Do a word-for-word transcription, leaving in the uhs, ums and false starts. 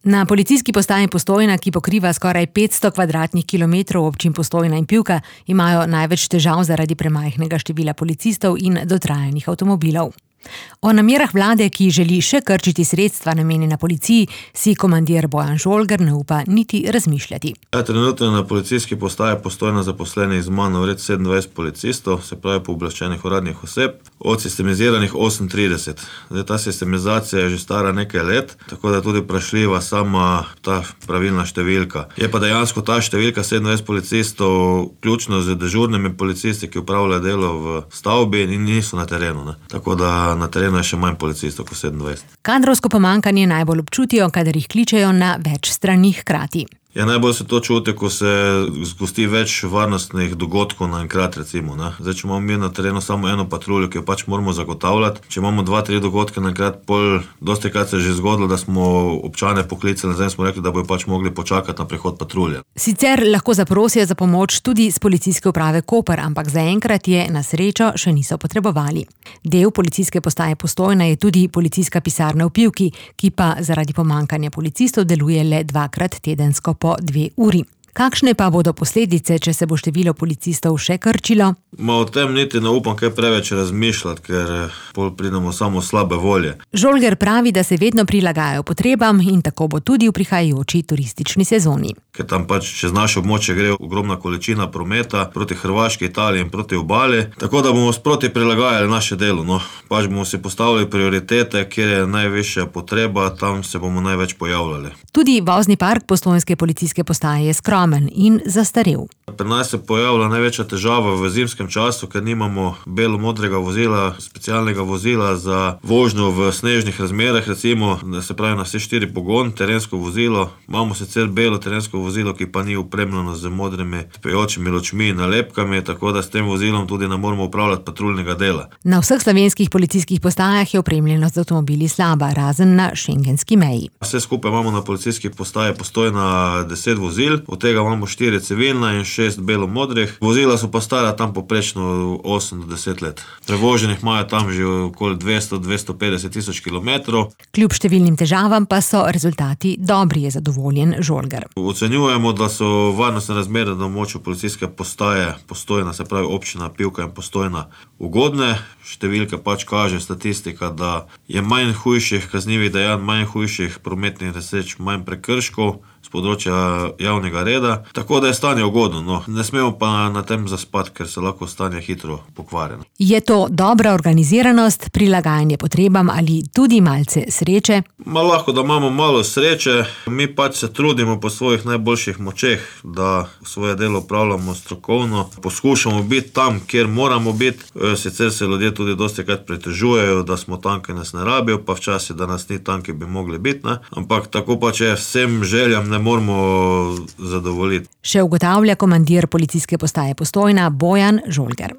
Na policijski postaji Postojna, ki pokriva skoraj petsto kvadratnih kilometrov občin Postojna in Pivka, imajo največ težav zaradi premajhnega števila policistov in dotrajanih avtomobilov. O namerah vlade, ki želi še krčiti sredstva namenjena policiji, si komandir Bojan Žolger ne upa niti razmišljati. Ja, trenutno na policijski postaji Postojna zaposlenih z mano vred sedemindvajset policistov, se pravi pooblaščenih uradnih oseb, od sistemiziranih osemintrideset. Zdaj, ta sistemizacija je že stara nekaj let, tako da je tudi vprašljiva sama ta pravilna številka. Je pa dejansko ta številka sedemindvajset policistov ključno z dežurnimi policisti, ki opravljajo delo v stavbi in niso na terenu. Ne? Tako da na terenu je še manj policistov kot sedemindvajset. Kadrovsko pomanjkanje najbolj občutijo, kadar jih kličejo na več stranih hkrati. Ja, najbolj se to čuti, ko se zgosti več varnostnih dogodkov naenkrat, recimo. Ne? Zdaj, če imamo mi na terenu samo eno patruljo, ki jo pač moramo zagotavljati, če imamo dva, tri dogodke naenkrat, pol dostikrat se je že zgodilo, da smo občane poklicali, zdaj smo rekli, da bojo pač mogli počakati na prihod patrulje. Sicer lahko zaprosijo za pomoč tudi z policijske uprave Koper, ampak zaenkrat je na srečo še niso potrebovali. Del policijske postaje Postojna je tudi policijska pisarna v Pivki, ki pa zaradi pomanjkanja policistov deluje le dvakrat tedensko po dve uri. Kakšne pa bodo posledice, če se bo število policistov še krčilo? Ma o tem niti ne upam kaj preveč razmišljati, ker pol pridemo samo slabe volje. Žolger pravi, da se vedno prilagajajo potrebam in tako bo tudi v prihajajoči turistični sezoni. Ker tam pač čez naše območje gre ogromna količina prometa proti Hrvaški, Italiji in proti obali, tako da bomo sproti prilagajali naše delo. No, pač bomo si postavili prioritete, kjer je najvišja potreba, tam se bomo največ pojavljali. Tudi vozni park postojnske policijske postaje je skromen in zastarel. Pri nas se pojavlja največja težava v zimskem času, ker nimamo belo-modrega vozila, specialnega vozila za vožnjo v snežnih razmerah, recimo, da se pravi na vse štiri pogon, terensko vozilo. Imamo sicer belo terensko vozilo, ki pa ni opremljeno z modrimi spejočimi lučmi in nalepkami, tako da s tem vozilom tudi ne moremo upravljati patruljnega dela. Na vseh slovenskih policijskih postajah je opremljenost z avtomobili slaba, razen na šengenski meji. Vse skupaj imamo na policijski postaji Postojna deset vozil, od tega imamo štiri civilna in šest belo-modrih. Vozila so pa stara tam poprečno osem do deset let. Prevoženih imajo tam že okoli dvesto do dvesto petdeset tisoč kilometrov. Kljub številnim težavam pa so rezultati dobri, je zadovoljen Žolger. Ocenjujemo, da so varnostne razmere na območju policijske postaje Postojna, se pravi občina Pivka in Postojna, ugodne. Številke pač kaže statistika, da je manj hujših kaznivih dejanj, manj hujših prometnih nesreč, manj prekrškov z področja javnega reda, tako da je stanje ugodno. No, ne smemo pa na tem zaspati, ker se lahko stanje hitro pokvari. Je to dobra organiziranost, prilagajanje potrebam ali tudi malce sreče? Ma lahko, da imamo malo sreče, mi pač se trudimo po svojih najboljših močeh, da svoje delo opravljamo strokovno, poskušamo biti tam, kjer moramo biti, sicer se ljudje tudi dostikrat pritožujejo, da smo tam, ki nas ne rabijo, pa včasih, da nas ni tam, ki bi mogli biti, ne? Ampak tako pač je, vsem željam ne moramo zadovoljiti. Še ugotavlja komandir policijske postaje Postojna Bojan Žolger.